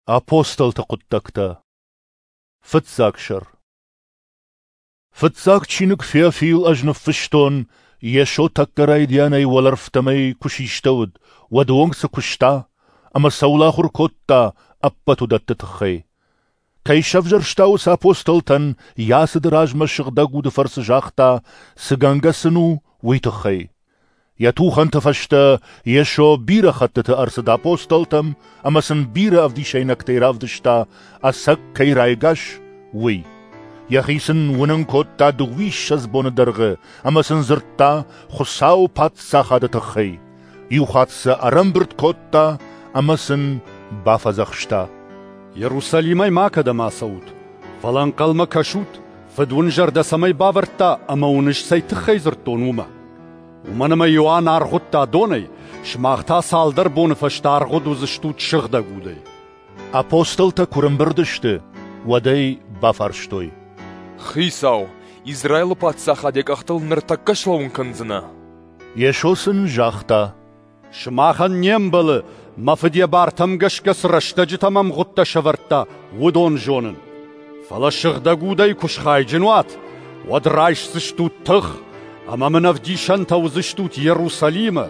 Апостолты хъуыддӕгтӕ. Фыццаг сӕр. Фыццаг чиныг Феофил ӕз ныффыстон, Йесо тӕккӕ райдианӕй уӕлӕрвтӕм ӕй куы систӕуыд, уӕды онг цы куыста ӕмӕ цӕуыл ахуыр кодта, ӕппӕт уыдӕтты тыххӕй. Кӕй сӕвзӕрста, уыцы апостолтӕн йӕ ацыды размӕ Сыгъдӕг Уды фӕрцы загъта, цы гӕнгӕ сын у, уый тыххӕй. Йӕ тухӕнты фӕстӕ Йесо бирӕ хӕттыты ӕрцыд апостолтӕм ӕмӕ сын бирӕ ӕвдисӕйнӕгтӕй равдыста, ӕцӕг кӕй райгас, уый. Йӕхи сын уынын кодта дыууиссӕдз боны дӕргъы ӕмӕ сын дзырдта Хуыцауы Паддзахады тыххӕй. Иухатт сӕ ӕрӕмбырд кодта ӕмӕ сын бафӕдзӕхста: Иерусалимӕй макӕдӕм ацӕут, фӕлӕ ӕнхъӕлмӕ кӕсут, Фыд уын зӕрдӕ цӕмӕй бавӕрдта ӕмӕ уын ӕз цӕй тыххӕй дзырдтон, уымӕ. Уымӕн ӕмӕ Иоанн аргъуыдта донӕй, сымах та цалдӕр боны фӕстӕ аргъуыд уыдзыстут Сыгъдӕг Удӕй. Апостолтӕ куы рымбырд сты, уӕд ӕй бафарстой: Хицау, Израилы паддзахад йӕ къӕхтыл ныртӕккӕ слӕууын кӕндзынӕ? Йесо сын загъта: Сымахӕн не мбӕлы, мӕ Фыд йӕ бартӕм гӕсгӕ цы рӕстӕджытӕм ӕмгъуыдтӕ сӕвӕрдта, уыдон зонын. Фӕлӕ Сыгъдӕг Удӕй куы схайджын уат, уӕд райсдзыстут тых, ӕмӕ мын ӕвдисӕнтӕ уыдзыстут Иерусалимы,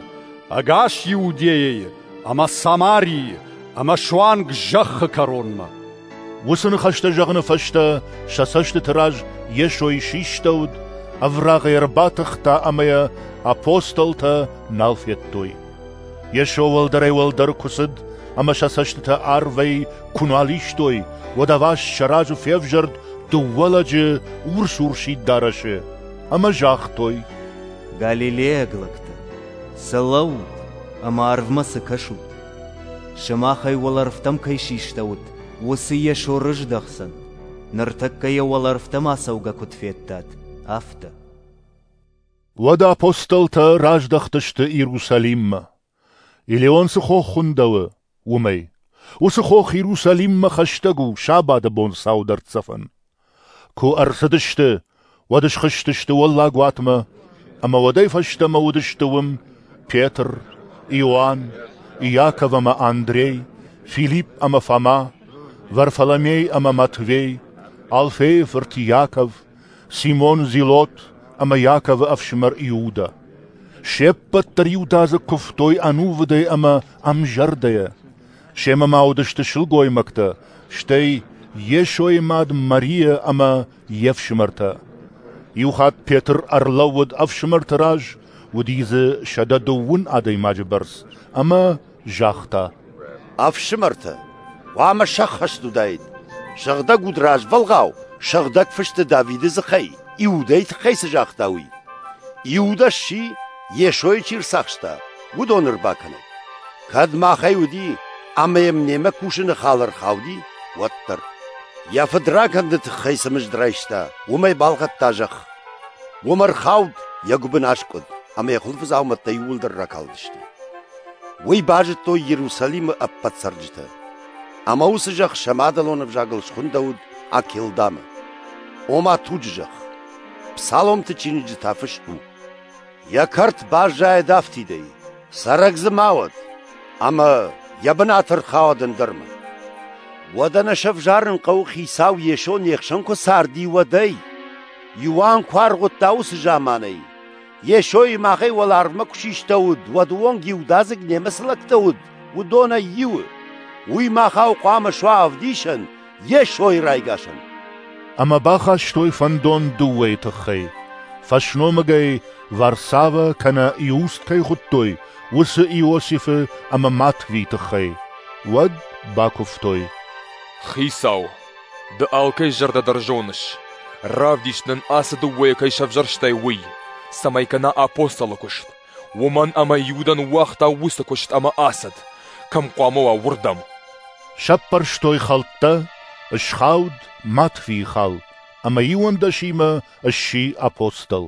ӕгас Иудейӕйы ӕмӕ Самарийы ӕмӕ суанг зӕххы кӕронмӕ. Уыцы ныхӕстӕ зӕгъыны фӕстӕ сӕ цӕстыты раз Йесойы систӕуыд, ӕврагъӕй ӕрбатыхта ӕмӕ йӕ апостолтӕ нал федтой. Йесо уӕлдӕрӕй-уӕлдӕр куы цыд ӕмӕ сӕ цӕстытӕ арвӕй куы нал истой, уӕд ӕваст сӕ разы февзӕрд дыууӕ лӕджы урс-урсид дарӕсы ӕмӕ загътой: Галилейаг лӕгтӕ, цы лӕуут ӕмӕ арвмӕ цы кӕсут? Сымахӕй уӕлӕрвтӕм кӕй систӕуыд, уыцы Йесо рыздӕхдзӕн, ныртӕккӕ йӕ уӕлӕрвтӕм ацӕугӕ куыд федтат, афтӕ. Уӕд апостолтӕ раздӕхтысты Иерусалиммӕ. Елеон цы хох хуындӕуы, уымӕй. Уыцы хох Иерусалиммӕ хӕстӕг у сабаты бон саудӕрддзӕфӕн. Куы ӕрцыдысты, уӕд схызтысты уӕллаг уатмӕ, ӕмӕ уӕдӕй фӕстӕмӕ уыдысты уым Петр, Иоанн, Иаков ӕмӕ Андрей, Филипп ӕмӕ Фома, Варфоломей ӕмӕ Матвей, Алфейы фырт Иаков, Симон Зилот ӕмӕ Иаковы ӕфсымӕр Иудӕ. Се ппӕт дӕр иудадзыг куывтой ӕнувыдӕй ӕмӕ ӕмзӕрдӕйӕ. Семӕ ма уыдысты сылгоймӕгтӕ, стӕй Йесойы мад Мария ӕмӕ йе фсымӕртӕ. Иухатт Петр ӕрлӕууыд ӕфсымӕрты раз, уыди дзы 120 адӕймаджы бӕрц, ӕмӕ загъта: Ӕфсымӕртӕ, хъуамӕ сӕххӕст уыдаид, Сыгъдӕг Уд развӕлгъау Сыгъдӕг Фысты Давиды дзыхӕй Иудӕйы тыххӕй цы загъта, уый. Иудӕ сси, Йесойы чи рцахста, уыдоны ӕрбакӕнӕг. Кӕд махӕй уыди ӕмӕ йӕм немӕ кусыны хал ӕрхауди, уӕддӕр. Йӕ фыдракӕнды тыххӕй цы мызд райста, уымӕй балхӕдта зӕхх. Уым ӕрхауд, йӕ гуыбын аскъуыд, ӕмӕ йӕ хуылфыдзаумӕттӕ иууылдӕр ракалдысты. Уый базыдтой Иерусалимы ӕппӕт цӕрджытӕ. Ӕмӕ уыцы зӕхх сӕ мадӕлон ӕвзагыл схуындӕуыд Акелдамы, ома туджы зӕхх. Псаломты чиныджы та фыст у: Йӕ кӕрт баззайӕд афтидӕй, цӕрӕг дзы ма уӕд, ӕмӕ йӕ бынат ӕрхауӕд ӕндӕрмӕ. Уӕдӕ нӕ сӕвзарын хъӕуы Хицау Йесо не хсӕн куы царди, уӕдӕй. Иоанн куы аргъуыдта уыцы заманӕй, Йесойы махӕй уӕларвмӕ куы систӕуыд, уӕды онг иудадзыг немӕ цы лӕгтӕ уыд, уыдонӕй иуы. Уый махау хъуамӕ суа ӕвдисӕн Йесойы райгасӕн. Ӕмӕ бахастой фӕндон дыууӕйы тыххӕй: фӕсномыгӕй Варсавӕ кӕнӕ Иуст кӕй хуыдтой, уыцы Иосифы ӕмӕ Матвийы тыххӕй. Уӕд бакуывтой: Хицау, ды алкӕй зӕрдӕ дӕр зоныс. Равдис нын, ацы дыууӕйы кӕй сӕвзӕрстай, уый, цӕмӕй кӕна апостолы куыст. Уымӕн ӕмӕ Иудӕ ныууагъта уыцы куыст ӕмӕ ацыд, кӕм хъуамӕ уа, уырдӕм. Сӕппӕрстой хӕлттӕ, схауд Матвийы хал, ӕмӕ иуӕндӕсимӕ сси апостол.